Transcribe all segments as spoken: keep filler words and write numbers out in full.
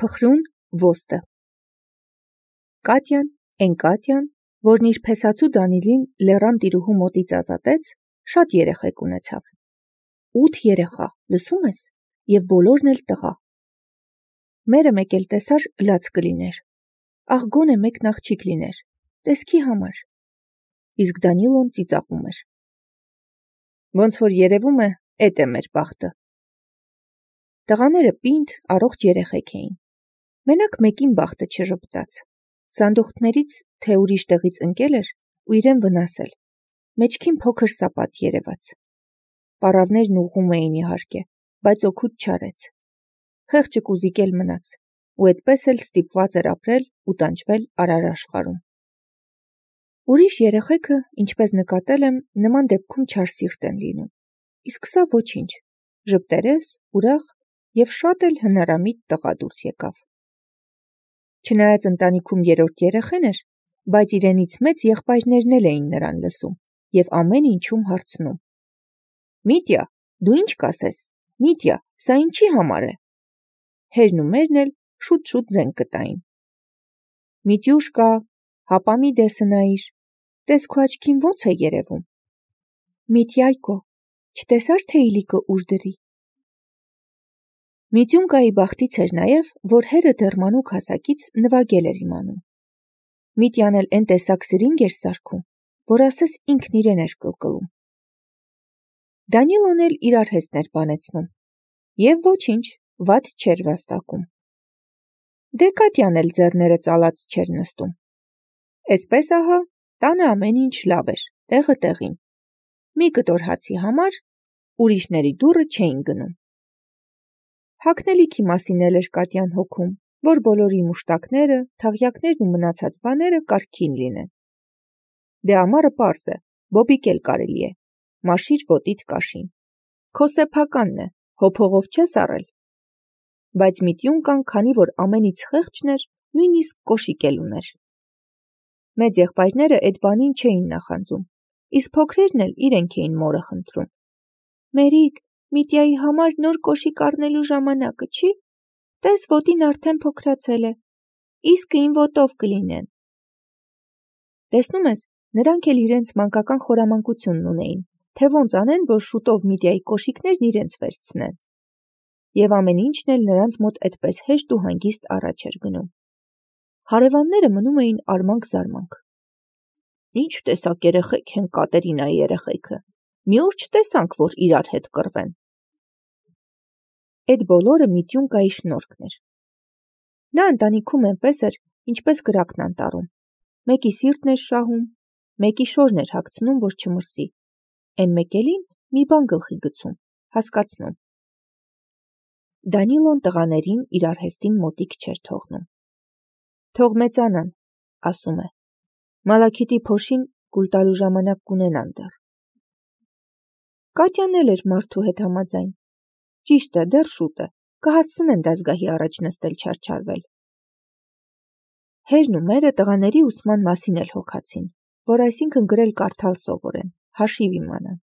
Փխրուն ոստը Կատյան, էն Կատյան, որն իր փեսացու Դանիլին լեռան տիրուհու մոտից ազատեց, շատ երեխեք ունեցավ. ութ երեխա, լսում ես, և բոլորն էլ տղա. մերը մեկ էլ տեսար լաց կլիներ, աղ գոնե մեկն աղջիկ լիներ, տեսքի համար, իսկ Դանիլոն ծիծաղում էր. ոնց որ երևում է, էդ է մեր բախտը. տղաները պինդ, առողջ երեխեք էին, մենակ մեկին բախտը չժպտաց, սանդուղքներից թե ուրիշ տեղից ընկել էր ու իրեն վնասել, մեջքին փոքր սապատ երևաց, պառավներն ուղղում էին իհարկե, բայց օգուտ չարեց, խեղճը կուզիկել մնաց ու էդպես էլ ստիպված էր ապրել ու տանջվել արար աշխարհում. Ուրիշ երեխեքը, ինչպես նկատել եմ, նման դեպքում չար սիրտ են լինում, իսկ սա ոչինչ, ժպտերես, ուրախ և շատ էլ հնարամիտ տղա դուրս եկավ. Չնայած ընտանիքում երրորդ երեխեն էր, բայց իրենից մեծ եղբայրներն էլ էին նրան լսում և ամեն ինչում հարցնում. Միտյա, դու ինչ կասես, Միտյա, սա ինչի համար է, հերն ու մերն էլ շուտ-շուտ զենք կտային. Միտյուշկա, հապա մի դեսը նայիր, տես քո աչքին ոնց է երևում, Միտյայկո, չտեսար թե իլիկը ուր դրի. Միտյունկայի բախտից էր նաև, որ հերը դեռ մանուկ հասակից նվագել էր իմանում. Միտյան էլ էն տեսակ սրինգ էր սարքում, որ ասես ինքն իրեն էր կլկլում. Դանիլոն էլ իրար հեստներ բանեցնում, և ոչինչ, վատ չէր վաստակում. Դե Կատյան էլ ձեռները ծալած չէր նստում. Էսպես ահա, տանը ամեն ինչ լավ էր, տեղը տեղին, մի կտոր հացի համար ուրիշների դուռը չէին գնում. Հագնելիքի մասին էլ էր Կատյան հոգում, որ բոլորի մուշտակները, թաղյակներն ու մնացած բաները կարգին լինեն. Դե ամառը պարզ է, բոբիկ էլ կարելի է, մաշիր ոտիդ կաշին, քո սեփականն է, հոփողով չես առել, բայց Միտյունկան, քանի որ ամենից խեղճն էր, նույնիսկ կոշիկ էլ ուներ. Մեծ եղբայրները էդ բանին չէին նախանձում, իսկ փոքրերն էլ իրենք էին մորը խնդրում. Մերիկ, Միտյայի համար նոր կոշիկ առնելու ժամանակը չի, տես ոտին արդեն փոքրացել է, իսկը ին ոտով կլինեն. Տեսնում ես, նրանք էլ իրենց մանկական խորամանկությունն ունեին, թե ոնց անեն, որ շուտով Միտյայի կոշիկներն իրենց վերցնեն. և ամեն ինչն էլ նրանց մոտ էդպես հեշտ ու հանգիստ առաջ էր գնում. Հարևանները մնում էին արմանք-զարմանք. Ինչ տեսակ երեխեք են Կատերինայի երեխեքը, մի օր չտեսանք, որ իրար հետ կռվեն. Էդ բոլորը Միտյունկայի շնորհքն էր. նա ընտանիքում էնպես էր, ինչպես կրակն անտառում, մեկի սիրտն էր շահում, մեկի շորն էր հագցնում, որ չմրսի, էն մեկ էլին մի բան գլխի գցում, հասկացնում. Դանիլոն տղաներին իր արհեստին մոտիկ չէր թողնում. Թող մեծանան, ասում է, Մալաքիթի փոշին կուլ տալու ժամանակ կունենան դեռ. Կատյան էլ էր մարդու հետ համաձայն. Ճիշտ է, դեռ շուտ է, կհասցնեն դասգահի առաջ նստել չարչարվել. Հերն ու մերը տղաների ուսման մասին էլ հոգացին, որ այսինքն գրել կարդալ սովորեն, հաշիվ իմանան.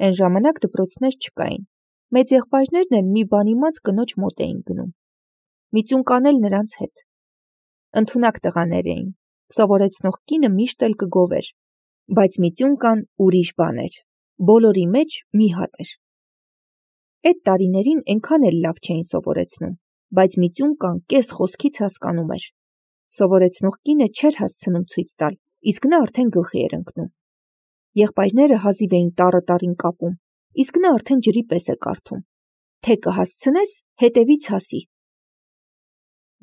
Էն ժամանակ դպրոցներ չկային, մեծ եղբայրներն էլ մի բան իմաց կնոջ մոտ էին գնում. Միտյունկան էլ նրանց հետ. ընդունակ տղաներ էին, սովորեցնող կինը միշտ էլ կգովեր, բայց Միտյունկան ուրիշ բան էր, բոլորի մեջ մի հատ էր. Էդ տարիներին ենքան էլ լավ չէին սովորեցնում, բայց Միտյունկան կես խոսքից հասկանում էր. սովորեցնող կինը չէր հասցնում ցույց տալ, իսկ նա արդեն գլխի էր ընկնում. եղբայրները հազիվ էին տառը տարին կապում, իսկ նա արդեն ջրի պես է կարդում, թե կհասցնես, հետևից հասի.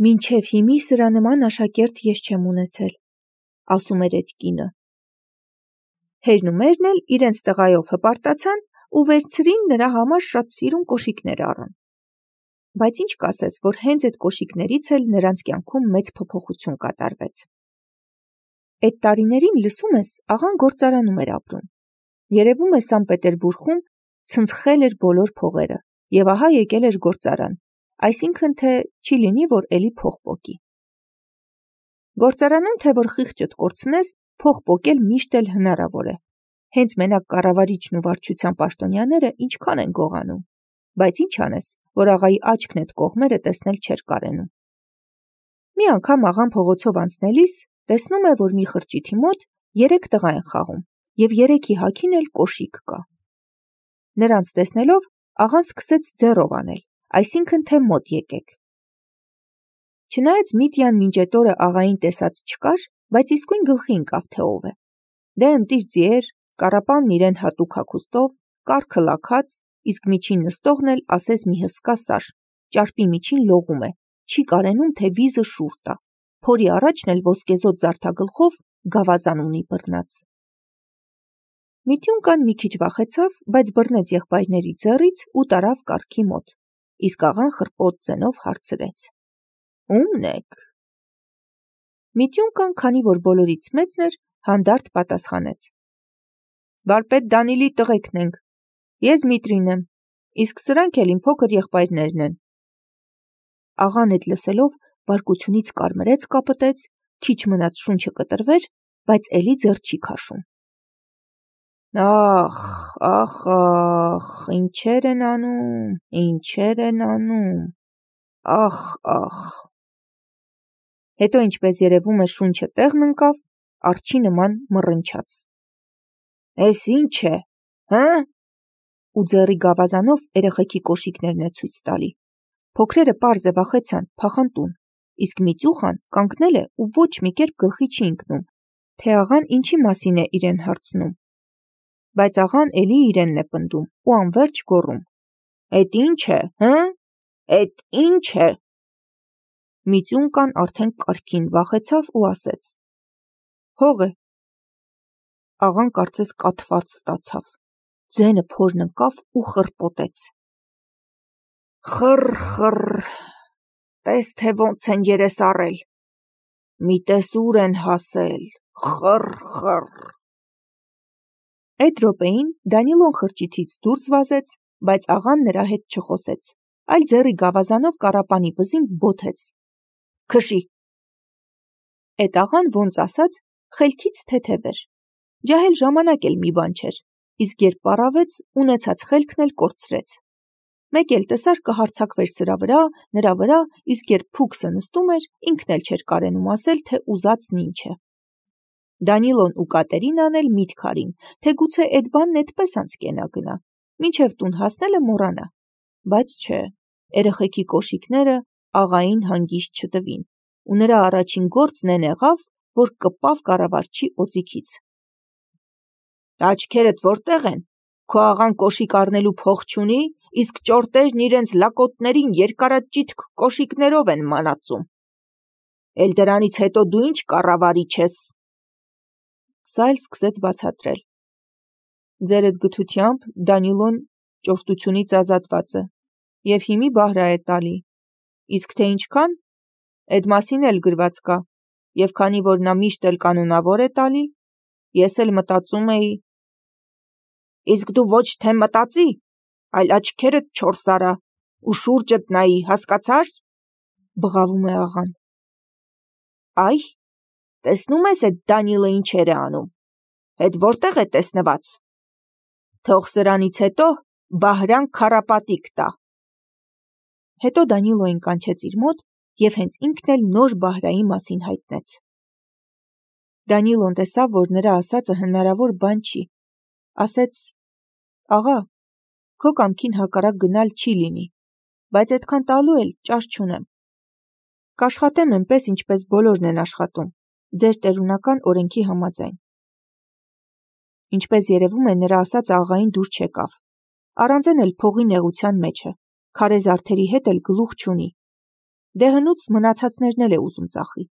Մինչև հիմի սրա նման աշակերտ ես չեմ ունեցել, ասում էր էդ կինը. Հերն ու մերն էլ իրենց տղայով հպարտացան ու վերցրին նրա համար շատ սիրուն կոշիկներ առան. Բայց ինչ կասես, որ հենց այդ կոշիկներից էլ նրանց կյանքում մեծ փոփոխություն կատարվեց. Էդ տարիներին լսում ես, աղան գործարանում էր ապրում. երևում է Սան Պետերբուրգում ցնցխել էր բոլոր փողերը և ահա եկել էր գործարան, այսինքն թե չի լինի, որ էլի փող պոկի. Գործարանում թե որ խիղճդ կորցնես, փող պոկել միշտ էլ հնարավոր է, հենց մենակ կառավարիչն ու վարչության պաշտոնյաները ինչքան են գողանում, բայց ինչ անես, որ աղայի աչքն էդ կողմերը տեսնել չէր կարենում։ Մի անգամ աղան փողոցով անցնելիս տեսնում է, որ մի խրճիթի մոտ երեք տղա են խաղում և երեքի հագին էլ կոշիկ կա։ Նրանց տեսնելով աղան սկսեց ձեռով անել, այսինքն թե մոտ եկեք։ Չնայած Միտյան մինչ էդ օրը աղային տեսած չկար, բայց իսկույն գլխի ընկավ, թե ով է։ Դե ընտիր ձիեր, կառապանն իրեն հատուկ հագուստով, կառքը լաքած, իսկ միջին նստողն էլ ասես մի հսկա սար, ճարպի միջին լողում է, չի կարենում, թե վիզը շուռ տա, փորի առաջն էլ ոսկեզօծ զարդագլխով գավազան ունի բռնած։ Միտյունկան մի քիչ վախեցավ, բայց բռնեց եղբայրների ձեռից ու տարավ կառքի մոտ, իսկ աղան խռպոտ ձենով հարցրեց. Ո՞ւմն եք։ Միտյունկան, քանի որ բոլորից մեծն էր, հանդարտ պատասխանեց. Վարպետ Դանիլի տղեկն ենք, ես Միտրին եմ, իսկ սրանք էլ իմ փոքր եղբայրներն են։ Աղան էդ լսելով բարկությունից կարմրեց կապտեց, քիչ մնաց շունչը կտրվեր, բայց էլի ձեռ չի քաշում։ Ախ, ախ, ախ, ինչեր են անում, ինչեր են անում, ախ, ախ։ Հետո ինչպես երևում է շունչը տեղն ընկավ, արջի նման մռնչաց։ Էս ինչ է, հը՞։ Ու ձեռի գավազանով երեխեքի կոշիկներն է ցույց տալի։ Փոքրերը պարզ է վախեցան, փախան տուն, իսկ Միտյուխան կանգնել է ու ոչ մի կերպ գլխի չի ընկնում, թե աղան ինչի մասին է իրեն հարցնում։ Բայց աղան էլի իրենն է պնդում ու անվերջ գոռում. Էդ ինչ է, հը՞։ Էդ ինչ է։ Միտյունկան արդեն կառքին վախեցավ ու ասեց. Հող է։ Աղան կարծես կաթված ստացավ, ձենը փորն ընկավ ու խռպոտեց. Խռ, խռ, տես թե ոնց են երես առել, մի տես ուր են հասել, խռ, խռ։ Այդ րոպեին Դանիլոն խրճիթից դուրս վազեց, բայց աղան նրա հետ չխոսեց, այլ ձեռի գավազանով կառապանի վզին բոթեց. Քշի։ Էդ աղան ոնց ասած խելքից թեթև էր, ջահել ժամանակ էլ մի բան չէր, իսկ երբ պառավեց, ունեցած խելքն էլ կորցրեց։ Մեկ էլ տեսար կհարձակվեր սրա վրա, նրա վրա, իսկ երբ փուքսը նստում էր, ինքն էլ չէր կարենում ասել, թե ուզածն ինչ է։ Դանիլոն ու Կատերինան էլ միտք արին, թե գուցե էդ բանն էդպես անցկենա գնա, մինչև տուն հասնելը մոռանա, բայց չէ, երեխեքի կոշիկները աղային հանգիստ չտվին, ու նրա առաջին գործն էն եղավ, որ կպավ կառավարչի օձիքից։ Աչքերդ որտեղ են, քո աղան կոշիկ առնելու փող չունի, իսկ ճորտերն իրենց լակոտներին երկարաճիթք կոշիկներով են մանածում։ Էլ դրանից հետո դու ինչ կառավարիչ ես։ Սա էլ սկսեց բացատրել. Ձեր էդ գթությամբ Դանիլոն ճորտությունից ազատված է և հիմի բահրա է տալի, իսկ թե ինչքան, էդ մասին էլ գրված կա, և քանի որ նա միշտ էլ կանոնավոր է տալի, ես էլ մտածում էի։ Իսկ դու ոչ թե մտածի, այլ աչքերդ չորս արա ու շուրջդ նայի, հասկացար։ Բղավում է աղան։ Այ, տեսնում ես էդ Դանիլը ինչեր է անում, հետ որտեղ է տեսնված։ Թող սրանից հետո բահրան քառապատիկ տա։ Հետո Դանիլոին կանչեց իր մոտ և հենց ինքն էլ նոր բահրայի մասին հայտնեց։ Դանիլոն տեսավ, որ նրա ասածը հնարավոր բան չի, ասեց. Աղա, քո կամքին հակառակ գնալ չի լինի, բայց այդքան տալու էլ ճար չունեմ։ Կաշխատեմ այնպես, ինչպես բոլորն են աշխատում, ձեր տերունական օրենքի համաձայն։ Ինչպես երևում է, նրա ասածը աղային դուր չեկավ, առանձեն էլ փողի նեղության մեջ է, քարե զարդերի հետ էլ գլուխ չունի, դե հնուց մնացածներն էլ է ուզում ծախի,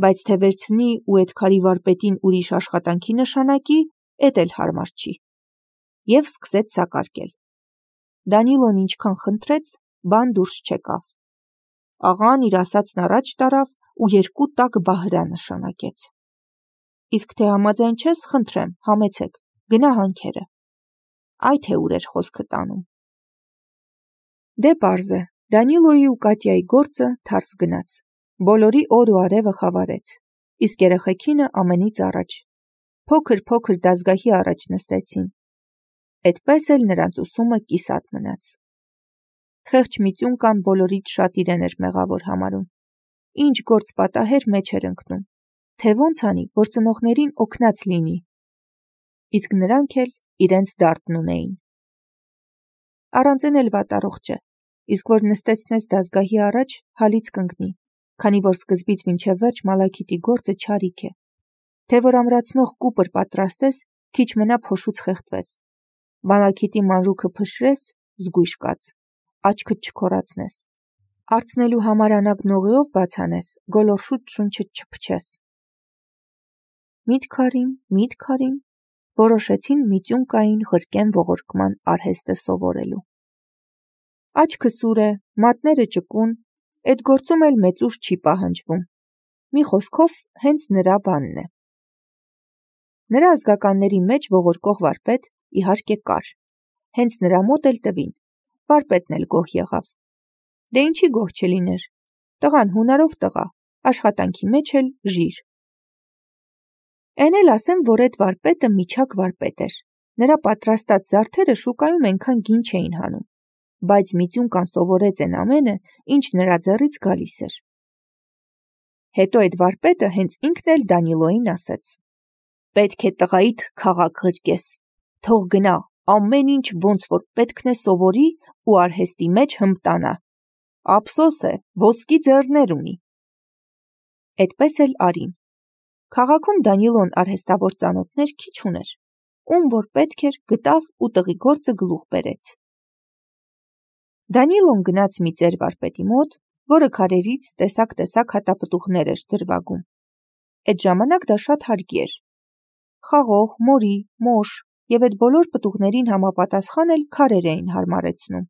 բայց թե վերցնի ու էդ քարի վարպետին ուրիշ աշխատանքի նշանակի, էդ էլ հարմար չի, և սկսեց սակարկել։ Դանիլոն ինչքան խնդրեց, բան դուրս չեկավ։ Աղան իր ասածն առաջ տարավ ու երկու տաք բահրա նշանակեց։ Իսկ թե համաձայն չես, խնդրեմ, համեցեք, գնա հանքերը։ Այ թե ուր էր խոսքը տանում։ Դե պարզ է, Դանիլոյի ու Կատյայի գործը թարս գնաց, բոլորի օր ու արևը խավարեց, իսկ երեխեքինը ամենից առաջ, փոքր-փոքր դազգահի առաջ նստեցին, էդպես էլ նրանց ուսումը կիսատ մնաց։ Խեղճ Միտյունկան բոլորից շատ իրեն էր մեղավոր համարում։ Ինչ գործ պատահեր մեջ էր ընկնում, թե ոնց անի, որ ծնողներին օգնած լինի։ Իսկ նրանք էլ իրենց դարտն ունեին։ Առանձին էլ վատառողջ է, իսկ որ նստեցնես դազգահի առաջ, հալից կընկնի, քանի որ սկզբից մինչև վերջ Մալաքիթի գործը չարիք է, թե որ ամրացնող կուպր պատրաստես, քիչ մնա փոշուց խեղդվես, Մալաքիթի մանրուքը փշրես, զգույշ կաց, աչքդ չքորացնես, արցնելու համար անագ նողիով բացանես, գոլորշուտ շունչդ չփչես։ Միտքարին, միտքարին, որոշեցին Միտյունկային ղրկեն ողորկման արհեստը սովորելու։ Աչքը սուր է, մատները ճկուն, էդ գործում էլ մեծ ուժ չի պահանջվում։ Մի խոսքով հենց նրա բանն է։ Նրա ազգականների մեջ ողորկող վարպետ իհարկե կար, հենց նրա մոտ էլ տվին, վարպետն էլ գոհ եղավ։ Դե ինչի գոհ չլիներ, տղան հունարով տղա, աշխատանքի մեջ էլ ժիր։ Էն էլ ասեմ, որ էդ վարպետը միջակ վարպետ էր, նրա պատրաստած զարդերը շուկայում ենքան գին չէին հանում, բայց Միտյունկան սովորեց են ամենը, ինչ նրա ձեռից գալիս էր։ Հետո այդ վարպետը հենց ինքն էլ Դանիլոյին ասեց. «Պետք է տղայիդ քաղաք ղրկես, թող գնա, ամեն ինչ ոնց որ պետքն է սովորի ու արհեստի մեջ հմտանա։ Ափսոս է, ոսկի ձեռներ ունի»։ Էդպես էլ արին։ Քաղաքում Դանիլոն արհեստավոր ծանոթներ քիչ ուներ, ում որ պետք էր գտավ ու տղի գործը գլուխ բերեց։ Դանիլոն գնաց մի ծեր վարպետի մոտ, որը քարերից տեսակ-տեսակ հատապտուղներ էր դրվագում։ Այդ ժամանակ դա շատ հարկի էր։ Խաղող, մորի, մոշ եւ այդ բոլոր պտուղներին համապատասխան էլ քարեր էին հարմարեցնում։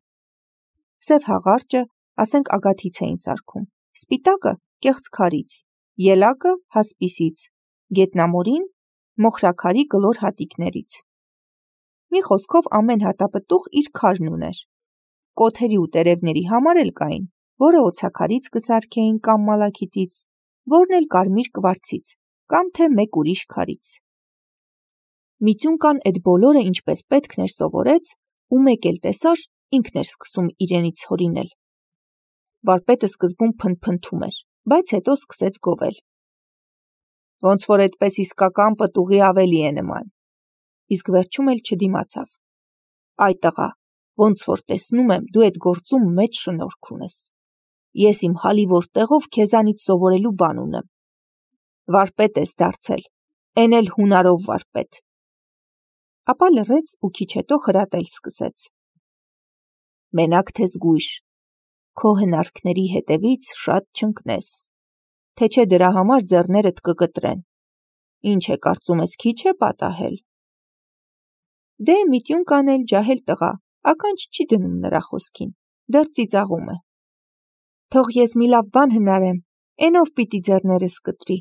Սև հաղարջը, ասենք ագաթից էին սարքում, սպիտակը կեղծ քարից, ելակը հասպիսից, գետնամորին մոխրաքարի կլոր հատիկներից։ Մի խոսքով ամեն հատապտուղ իր քարն ուներ։ Կոթերի ու տերևների համար էլ կային, որը օձաքարից կսարքեին կամ մալաքիթից, որն էլ կարմիր կվարցից, կամ թե մեկ ուրիշ քարից։ Միտյունկան այդ բոլորը ինչպես պետքն էր սովորեց, ու մեկ էլ տեսար, ինքն էր սկսում իրենից հորինել։ Վարպետը սկզբում փնթփնթում էր, բայց հետո սկսեց գովել։ Ոնց որ այդպես իսկական պտուղի ավելի է նման։ Իսկ վերջում էլ չդիմացավ։ Այ տղա, ոնց որ տեսնում եմ, դու այդ գործում մեծ շնորհք ունես։ Ես իմ հալիվոր տեղով քեզանից սովորելու բան ունեմ։ Վարպետ ես դարձել, էն էլ հունարով վարպետ։ Ապա լռեց ու քիչ հետո խրատել սկսեց։ Մենակ թե զգույշ, քո հնարքների հետևից շատ չընկնես, թե չէ դրա համար ձեռներդ կկտրեն։ Ինչ է կարծում ես, քիչ է պատահել։ Դե Միտյունկան էլ ջահել տղա, ականջ չի դնում նրա խոսքին, դեռ ծիծաղում է։ Թող ես մի լավ բան հնարեմ, էնով պիտի ձեռներս կտրի,